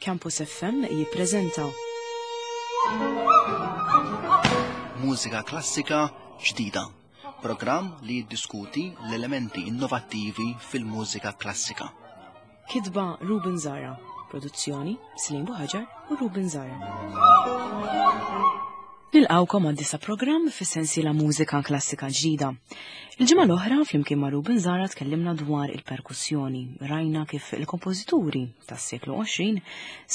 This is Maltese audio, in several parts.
Campus FM jippreżenta Mużika klassika ġdida. Programm li jiddiskuti l-elementi innovattivi fil-mużika klassika. Kitba Ruben Zara, produzzjoni Slim Buħaġar u Ruben Zara. Nilqawkom għad disa programm fis-sensiela mużika klassika ġdida. Il-ġimgħa l-oħra flimkien ma' Ruben Zara tkellimna dwar il-perkussjoni. Rajna kif il-kompożituri tas-seklu 20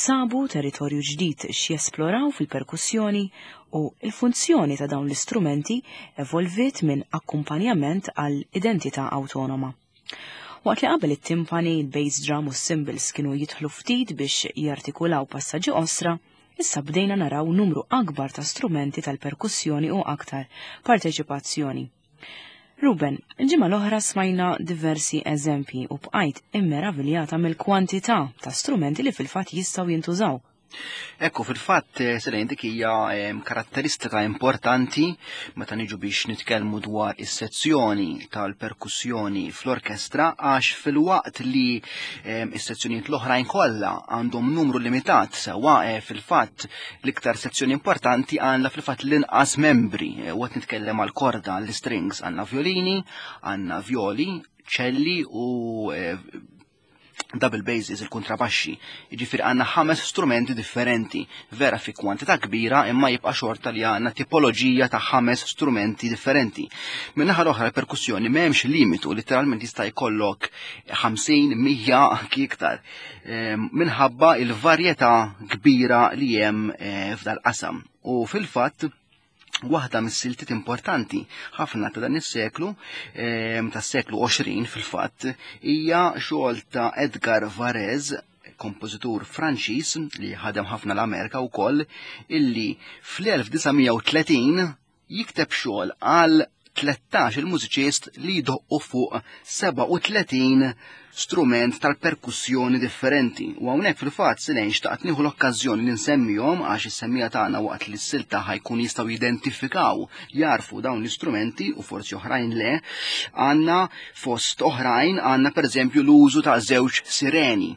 sabu territorju ġdid x'jesploraw fil-perkussjoni u l-funzjoni ta' dawn l-istrumenti evolviet minn akkumpanjament għal identità awtonoma. Waqt li qabel it-timpani, il-bass drum u s-cymbals kienu jidħlu ftit biex jartikulaw passaġġi qosra, issa bdejna naraw numru akbar ta' strumenti tal-perkussjoni u aktar parteċipazzjoni. Ruben, il-ġimgħa l-oħra smajna diversi eżempji u bqajt immeraviljata mill-kwantità ta' strumenti li fil-fatt jistgħu jintużaw. Ekku, fil-fatt, eh, Selene, dik hija ehm, karatteristika importanti meta niġu biex nitkellmu dwar is-sezzjoni tal-perkussjoni fl-orkestra għax fil-waqt li ehm, is-sezzjonijiet l-oħrajn kollha għandhom numru limitat sewwa eh, fil-fatt l-iktar sezzjoni importanti għandha fil-fatt l-inqas membri. Eh, u qed nitkellem għal korda l-strings għandna violini, għandna violi, ċelli u double basses, il-kontrabaxxi. Jiġifieri għandna ħames strumenti differenti, vera fi kwantità kbira imma jibqa' xorta li għandna tipoloġija ta' ħames strumenti differenti. Min-naħa l-oħra l-perkussjoni m'hemmx limitu, letteralment jista' jkollok 50, 100 anki iktar. Ehm, minħabba il-varjetà kbira li hemm eh, f'dal-qasam. U fil-fatt waħda mis-siltiet importanti ħafna ta' dan is-seklu, ehm, tas-seklu 20 fil-fatt, hija xogħol ta' Edgar Varèse, kompożitur Franċiż li ħadem ħafna l-Amerika wkoll, illi fl-1930 jikteb xogħol għal 13 il-mużiċist li jdoqqu fuq 37 strument tal-perkussjoni differenti. U hawnhekk fil-fatt silejn xtaqt nieħu l-okkażjoni li nsemmihom għax is-semmija tagħna waqt li s-silta ħajkun jistgħu jidentifikaw, jarfu dawn l-istrumenti u forsi oħrajn le, għandna fost oħrajn għandna pereżempju l-użu ta' żewġ sireni.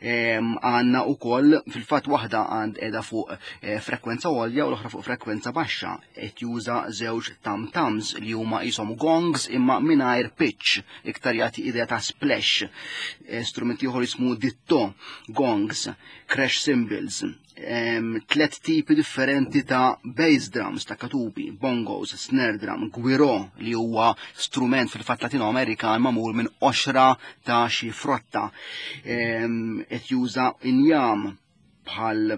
Ehm, għandna wkoll fil-fatt waħda għand qiegħda fuq eh, frekwenza għolja u l-oħra fuq frekwenza baxxa. qed juża żewġ tam-tams li huma qishom gongs imma mingħajr pitch, iktar jagħti idea ta' splash. Eh, strument ieħor jismu ditto, gongs, crash cymbals, tlet tipi differenti ta' bass drums, ta' katubi, bongos, snare drum, gwiro li huwa strument fil-fatt Latino Amerikan magħmul minn qoxra ta' xi frotta. Qed juża injam bħal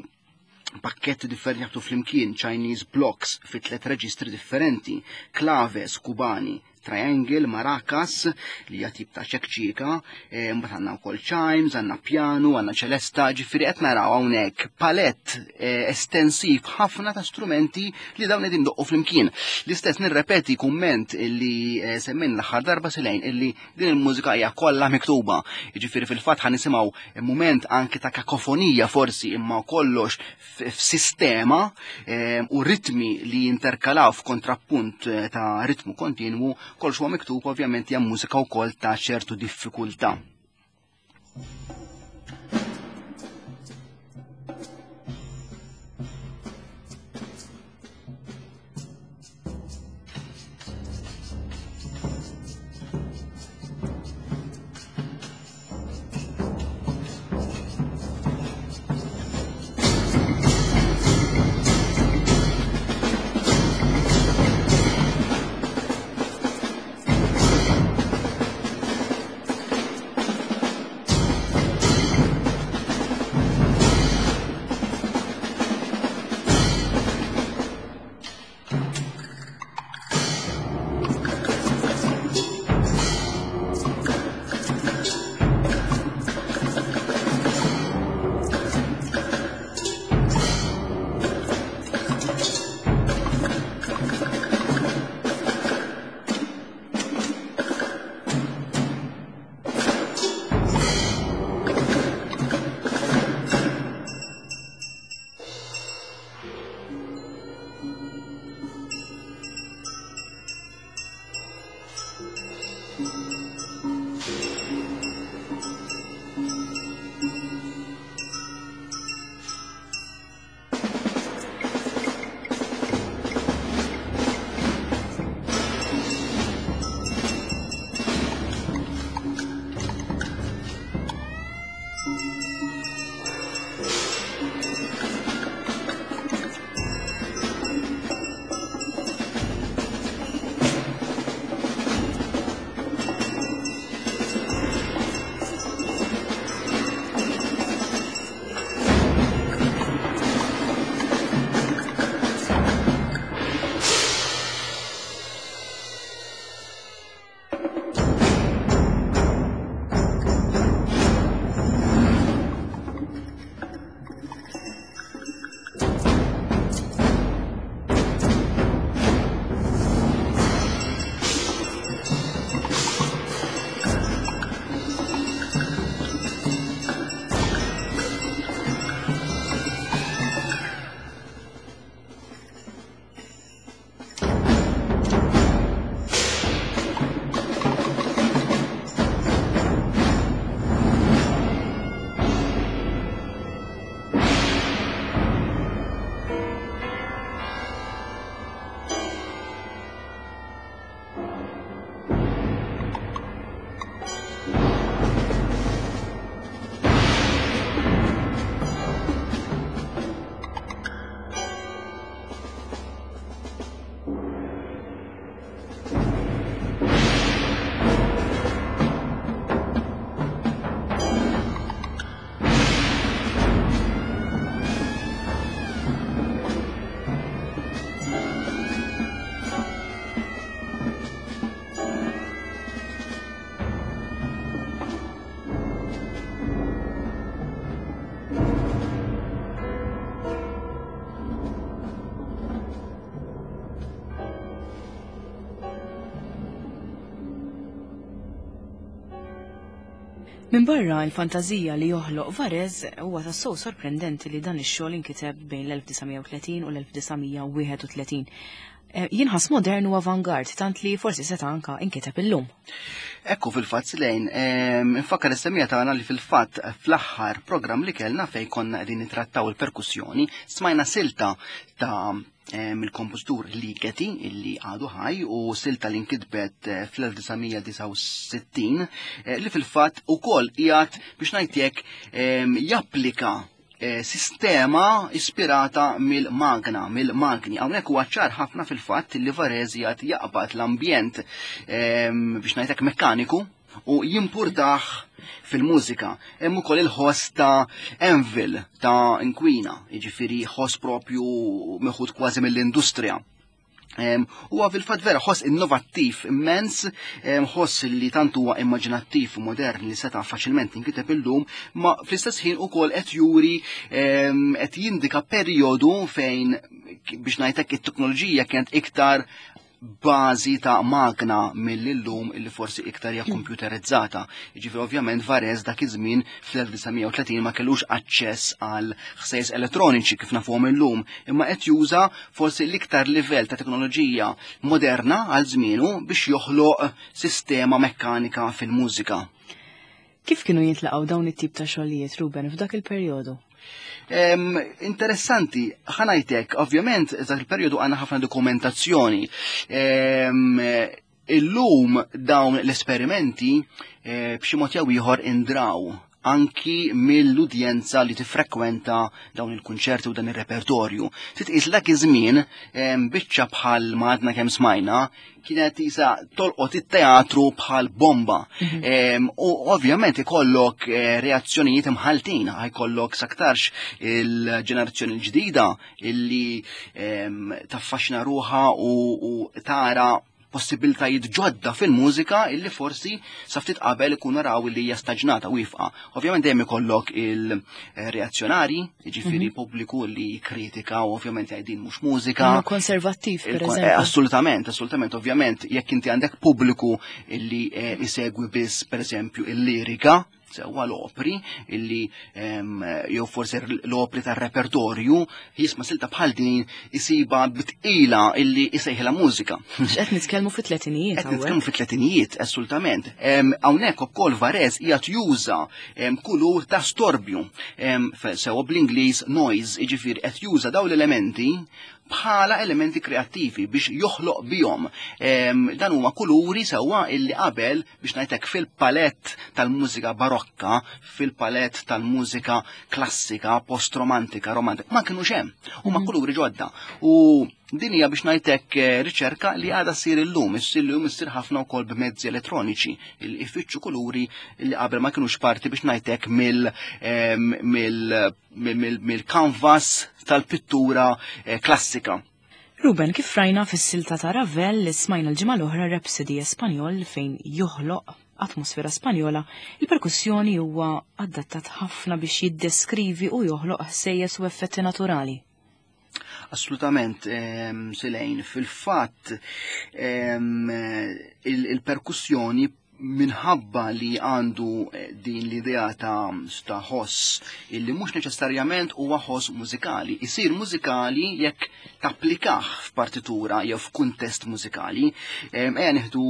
pakketti differenti jaħbtu flimkien, Chinese blocks fi tlet reġistri differenti, claves kubani, triangle, maracas, li hija tip ta' ċekċika, eh, mbagħad għandna wkoll chimes, għandna piano, għandna ċelesta, ġifieri qed naraw hawnhekk palett eh, estensiv ħafna ta' strumenti li dawn qegħdin doqqu flimkien. L-istess nirrepeti kumment li eh, semmejn l-aħħar darba silejn illi Din il-mużika hija kollha miktuba. Jiġifieri fil-fatt ħa nisimgħu mument anke ta' kakofonija forsi imma kollox f'sistema eh, u ritmi li jinterkalaw f'kontrappunt eh, ta' ritmu kontinwu, kollox huwa miktub ovvjament hija mużika wkoll ta' ċertu diffikultà. Minbarra l-fantażija li joħloq Varese, huwa tassew sorprendenti li dan ix-xogħol inkiteb bejn l-1930 u l-1931. Jinħass modern u avangard, tant li forsi seta' anka inkiteb illum. Ekku fil-fatt Silejn, infakkar is-semija tagħna li fil-fatt fl-aħħar programm li kellna fejn konna qegħdin nittrattaw il-perkussjoni, smajna silta ta' mill-kompożitur Ligeti illi għadu ħaj u silta li nkitbet fl-1969 li fil-fatt ukoll qiegħed biex ngħid japplika sistema ispirata mill-magna, mill-magni. Hawnhekk huwa ċar ħafna fil-fatt li Varese qiegħed jaqbad l-ambjent biex ngħidlek mekkaniku u jimpurtaħ fil-mużika. Hemm ukoll il-ħoss ta' anvil ta' inkwina, jiġifieri ħoss propju meħud kważi mill-industrija. Huwa fil-fatt vera ħoss innovattiv immens, ħoss li tant huwa immaġinattiv u modern li seta' faċilment inkiteb illum, ma fl-istess ħin ukoll qed juri qed jindika perjodu fejn biex ngħidlek it-teknoloġija kienet iktar bażi ta' magna mill-illum illi forsi iktar hija komputerizzata. Jiġifieri ovvjament Varese dak iż-żmien fl-1930 ma kellux aċċess għal ħsejjes elettroniċi kif nafuhom illum, imma qed juża forsi l-iktar livell ta' teknoloġija moderna għal żmienu biex joħloq sistema mekkanika fil-mużika. Kif kienu jintlaqgħu dawn it-tip ta' xogħlijiet, Ruben, f'dak il-perjodu? Interessanti, ħanajtek, ovvjament, dak il-perjodu għandna ħafna dokumentazzjoni. Illum dawn l-esperimenti b'xi mod jew ieħor indraw anki mill-udjenza li tiffrekwenta dawn il-kunċerti u dan ir-repertorju. Titqis dak iż-żmien biċċa bħal ma għadna kemm smajna kienet isa tolqot it-teatru bħal bomba. U ovvjament ikollok reazzjonijiet imħaltin, ħajkollok saktarx il-ġenerazzjoni l-ġdida illi taffaxxina ruħha u tara possibiltajiet ġodda fil-mużika illi forsi sa ftit qabel ikunu raw li hija staġnata u jifqa. Ovvjament dejjem ikollok il-reazzjonari, jiġifieri pubbliku li kritika u ovvjament jgħidin mhux mużika. Huma konservattiv, per eżempju. Assolutament, assolutament, ovvjament, jekk inti għandek pubbliku illi isegwi biss per eżempju il-lirika, sewwa l-opri illi jew forsi l-opri tar-repertorju, jisma' silta bħal din isiba bitqila illi isejħilha mużika. X'qed nitkellmu fit-tletinijiet Qed hawnhekk? nitkellmu fit-tletinijiet, assolutament. Hawnhekk ukoll Varese qiegħed juża kulur ta' storbju, sewwa bl-Ingliż noise, jiġifieri qed juża dawn l-elementi bħala elementi kreattivi biex joħloq bihom. Dan huma kuluri sewwa illi qabel biex ngħidlek fil-palett tal-mużika barokka, fil-palett tal-mużika klassika, post-romantika, romantika, ma kinux hemm. Huma kuluri ġodda. U din hija biex ngħidlek riċerka li għadha ssir illum, issir illum issir ħafna wkoll b'mezzi elettroniċi, li ifittxu kuluri li qabel ma kinux parti biex ngħidlek mill-canvas tal-pittura klassika. Ruben, kif rajna fis-silta ta' Ravel li smajna l-ġimgħa l-oħra Rhapsody Espanjol fejn joħloq atmosfera Spanjola, il-perkussjoni huwa adattat ħafna biex jiddeskrivi u joħloq ħsejjes u effetti naturali. Assolutament, Silejn, fil-fatt, il-perkussjoni minħabba li għandu din l-idea ta' ħoss illi mhux neċessarjament huwa ħoss mużikali. Isir mużikali jekk tapplikah f'partitura jew f'kuntest mużikali. Ejja nieħdu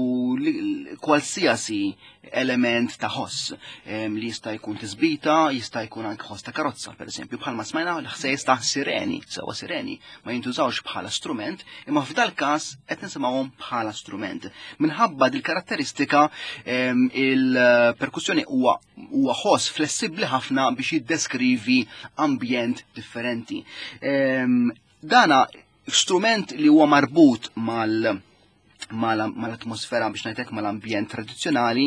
kwalsiasi element ta' ħoss li jista' jkun tisbita, jista' jkun anke ħoss ta' karozza, per eżempju, bħalma smajna l-ħsejjes ta' sireni, sewa sireni ma jintużawx bħala strument, imma f'dal każ qed nisimgħuhom bħala strument. Minħabba dil-karatteristika, il-perkussjoni huwa ħoss flessibbli ħafna biex jiddeskrivi ambjent differenti. Dana strument li huwa marbut mal-atmosfera biex ngħidlek mal-ambjent tradizzjonali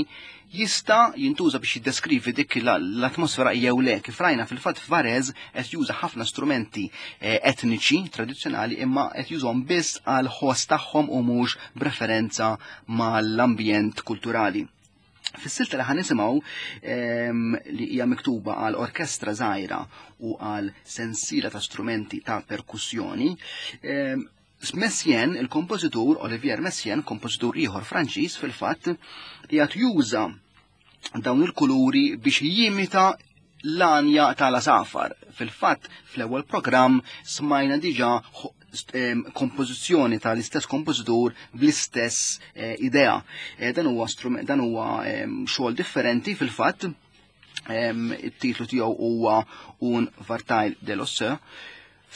jista' jintuża biex jiddeskrivi dik l-atmosfera jew le. Kif rajna fil-fatt Varese qed juża ħafna strumenti etniċi tradizzjonali imma qed jużhom biss għal ħoss tagħhom u mhux b'referenza mal-ambjent kulturali. Fis-silta li ħanisimgħu li hija miktuba għal orkestra żgħira u għal sensiela ta' strumenti ta' perkussjoni, Messiaen, il-kompożitur Olivier Messiaen, kompożitur ieħor Franċiż fil-fatt, qiegħed juża dawn il-kuluri biex jimita l-għanja tal-asafar. Fil-fatt, fl-ewwel programm smajna diġà kompożizzjoni tal-istess kompożitur bl-istess eh, idea. Eh, dan huwa strument, dan huwa xogħol differenti fil-fatt. It-titlu tiegħu huwa Un Vartajl de l'Osse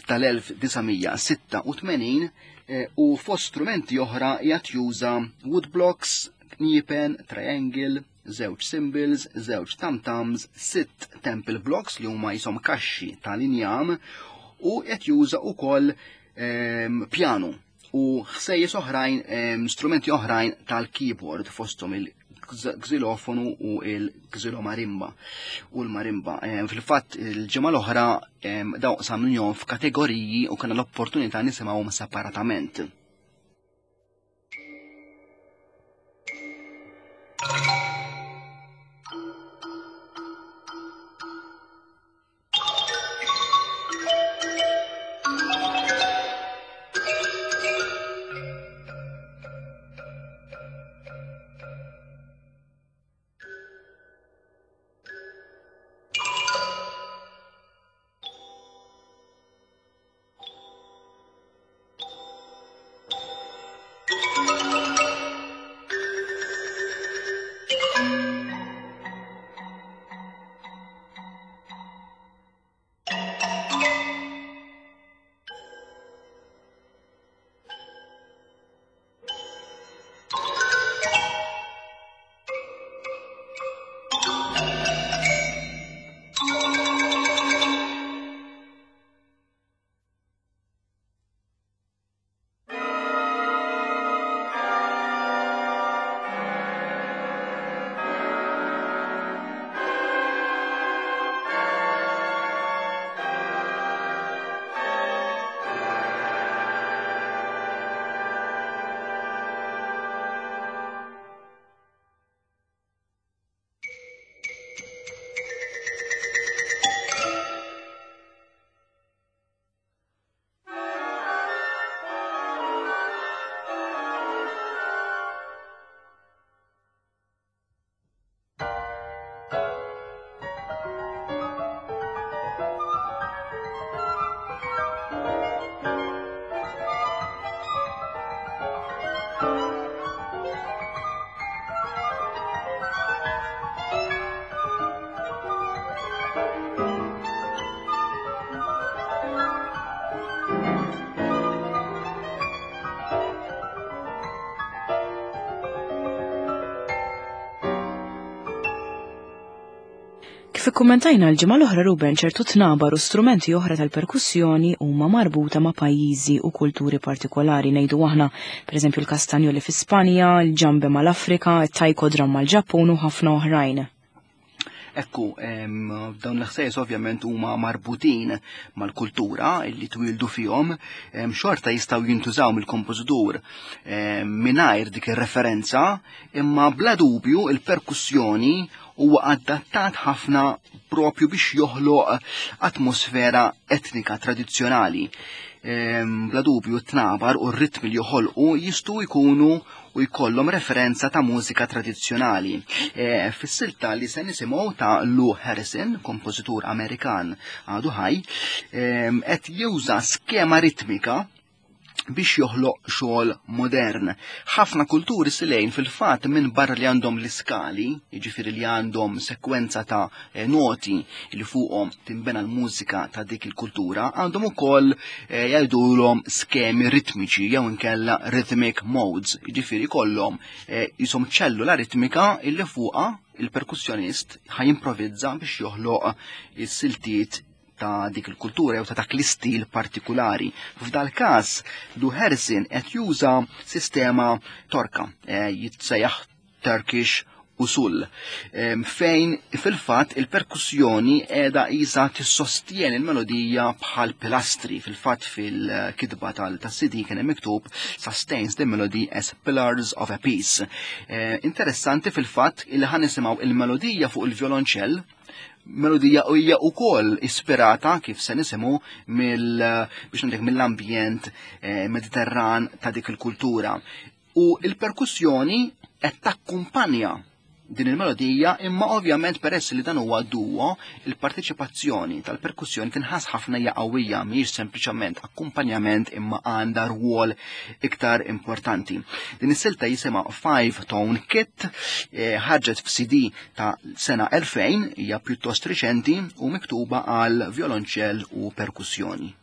tal-1986 eh, u fost strumenti oħra jgħat juża woodblocks, kniepen, triangle, żewġ cymbals, żewġ tam-tams, sitt temple blocks li huma jisom kaxxi tal-injam u qed juża wkoll piano u ħsejjes oħrajn, strumenti oħrajn tal-keyboard fosthom il-xilofonu u il-xilomarimba u l-marimba. Fil-fatt il-ġimgħa l-oħra daw qsamnihom f'kategoriji u kellna l-opportunità nisimgħuhom separatament. Kif ikkummentajna l-ġimgħa l-oħra Ruben ċertu tnabar u strumenti oħra tal-perkussjoni huma marbuta ma' pajjiżi u kulturi partikolari ngħidu aħna, pereżempju l-kastanjoli fi Spanja, il-ġambe mal-Afrika, it-taiko drum mal-Ġappun u ħafna oħrajn. Ekku, dawn l-ħsejjes ovvjament huma marbutin mal-kultura illi twildu fihom, xorta jistgħu jintużaw mill-kompożitur mingħajr dik ir-referenza, imma bla dubju il-perkussjoni huwa adattat ħafna propju biex joħloq atmosfera etnika tradizzjonali. Bla dubju t-tnabar u r-ritmi li joħolqu jistgħu jkunu u jkollhom referenza ta' mużika tradizzjonali. E, Fis-silta li se nisimgħu ta' Lou Harrison, kompożitur Amerikan għadu ħaj, qed juża skema ritmika biex joħloq xogħol modern. Ħafna kulturi silejn fil-fatt minn barra li għandhom l-iskali, jiġifieri li għandhom sekwenza ta' eh, noti li fuqhom tinbena l-mużika ta' dik il-kultura, għandhom ukoll eh, jgħidulhom skemi ritmiċi jew inkella rhythmic modes, jiġifieri kollhom eh, jisom ċellula ritmika illi fuqha il-perkussjonist ħajimprovizza biex joħloq is-siltiet ta' dik il-kultura jew ta' dak l-istil partikulari. F'dal każ Lou Harrison qed juża sistema torka eh, jitsejjaħ Turkish usul fejn fil-fatt il-perkussjoni qiegħda isa tissostjen il-melodija bħal pilastri fil-fatt fil-kitba tal-CD kien hemm miktub sustains the melody as pillars of a piece. Eh, interessanti fil-fatt il ħan nisimgħu il-melodija fuq il-violonċell melodija u hija wkoll ispirata kif se nisimgħu mill biex ngħidlek mill-ambjent eh, Mediterran ta' dik il-kultura. U il-perkussjoni qed takkumpanja din il-melodija, imma ovvjament peress li dan huwa duo, il-parteċipazzjoni tal-perkussjoni tinħass ħafna hija qawwija mhijiex sempliċement akkumpanjament imma għandha rwol iktar importanti. Din is-silta jisimha Five Tone Kit, eh, ħarġet f'CD ta' sena 2000, hija pjuttost riċenti u miktuba għal violonċell u perkussjoni.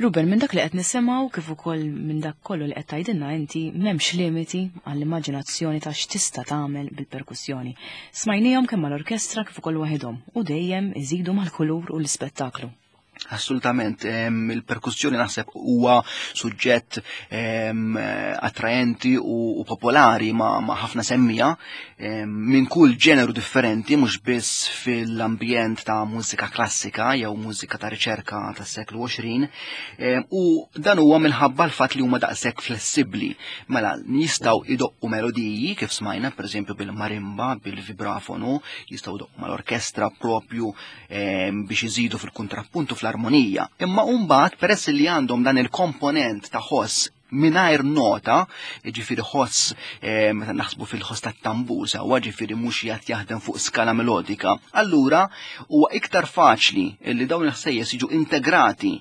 Ruben, minn dak li qed nisimgħu kif ukoll minn dak kollu li qed tgħidilna inti m'hemmx limiti għall-immaġinazzjoni ta' x'tista' tagħmel bil-perkussjoni. Smajnihom kemm mal-orkestra kif ukoll waħedhom u dejjem iżidu mal-kulur u l-ispettaklu. Assolutament, il-perkussjoni naħseb huwa suġġett attraenti u popolari ma' ħafna semmija minn kull ġeneru differenti, mhux biss fil-ambjent ta' mużika klassika jew mużika ta' riċerka tas-seklu 20, u dan huwa minħabba l-fatt li huma daqshekk flessibbli. Mela jistgħu idoqqu melodiji kif smajna, pereżempju bil-marimba, bil-vibrafonu, jistgħu idoqqu mal-orkestra propju biex iżidu fil-kontrappuntu fl-armonija. Imma mbagħad peress li għandhom dan il-komponent ta' ħoss mingħajr nota, ġifieri ħoss meta naħsbu fil-ħoss tat-tambur sewwa ġifieri mhux jgħid jaħdem fuq skala melodika, allura huwa iktar faċli li dawn il-ħsejjes jiġu integrati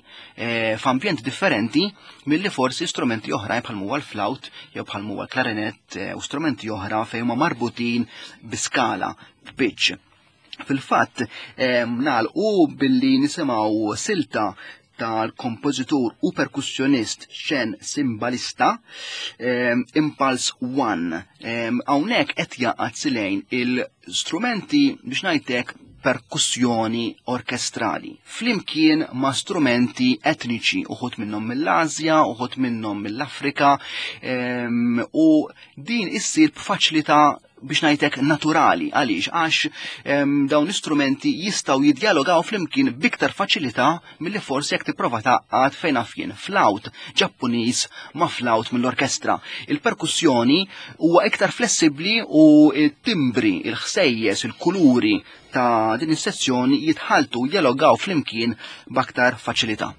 f'ambjent differenti milli forsi strumenti oħrajn bħal huwa l-flawt jew bħal huwa l-klarinett u strumenti oħra fejn huma marbutin bi skala, b'pitch. Fil-fatt, nagħlqu billi nisimgħu silta tal-kompożitur u perkussjonist Shen Simbalista, Impulse One. Hawnhekk qed jaqgħad silejn il-strumenti biex ngħidlek perkussjoni orkestrali flimkien ma' strumenti etniċi, uħud minnhom mill-Asja, uħud minnhom mill-Afrika, u din issir b'faċilità biex ngħidlek naturali. Għaliex? Għax dawn l-istrumenti jistgħu jidjalogaw flimkien biktar faċilità milli forsi jekk tipprova tgħaqqad fejn naf jien flawt Ġappuniż ma' flawt mill-orkestra. Il-perkussjoni huwa iktar flessibbli u t-timbri, il-ħsejjes, il-kuluri ta' din is-sezzjoni jitħaltu jalogaw flimkien b'aktar faċilità.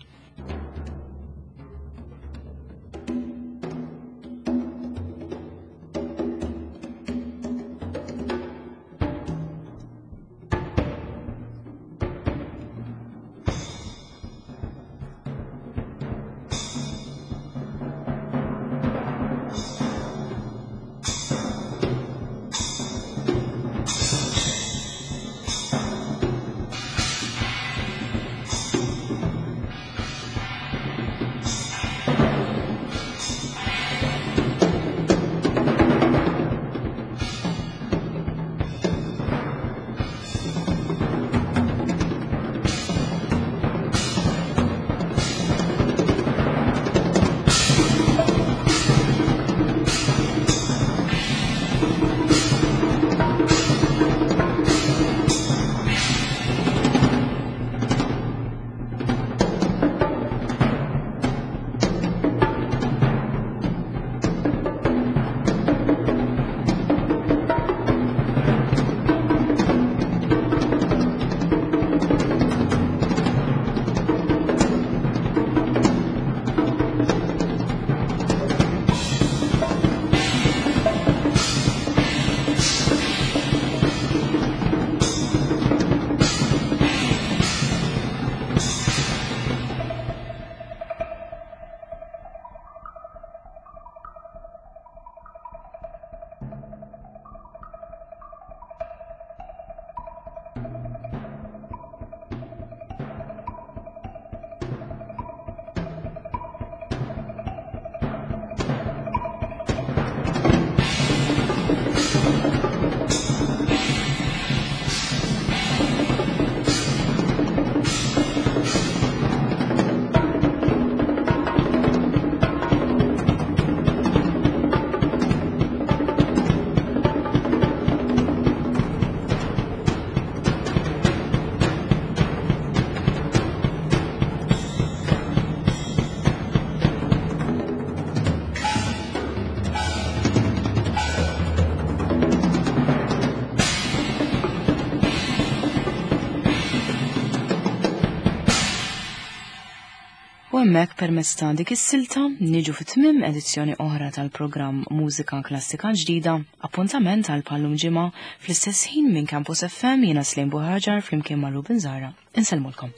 U hemmhekk permezz ta' dik is-silta niġu fi tmiem edizzjoni oħra tal-programm Mużika Klassika Ġdida, appuntament għal pallum ġimgħa fl-istess ħin minn Campus FM jiena Slim Buħaġar flimkien ma' Ruben Zara. Insellmulkom.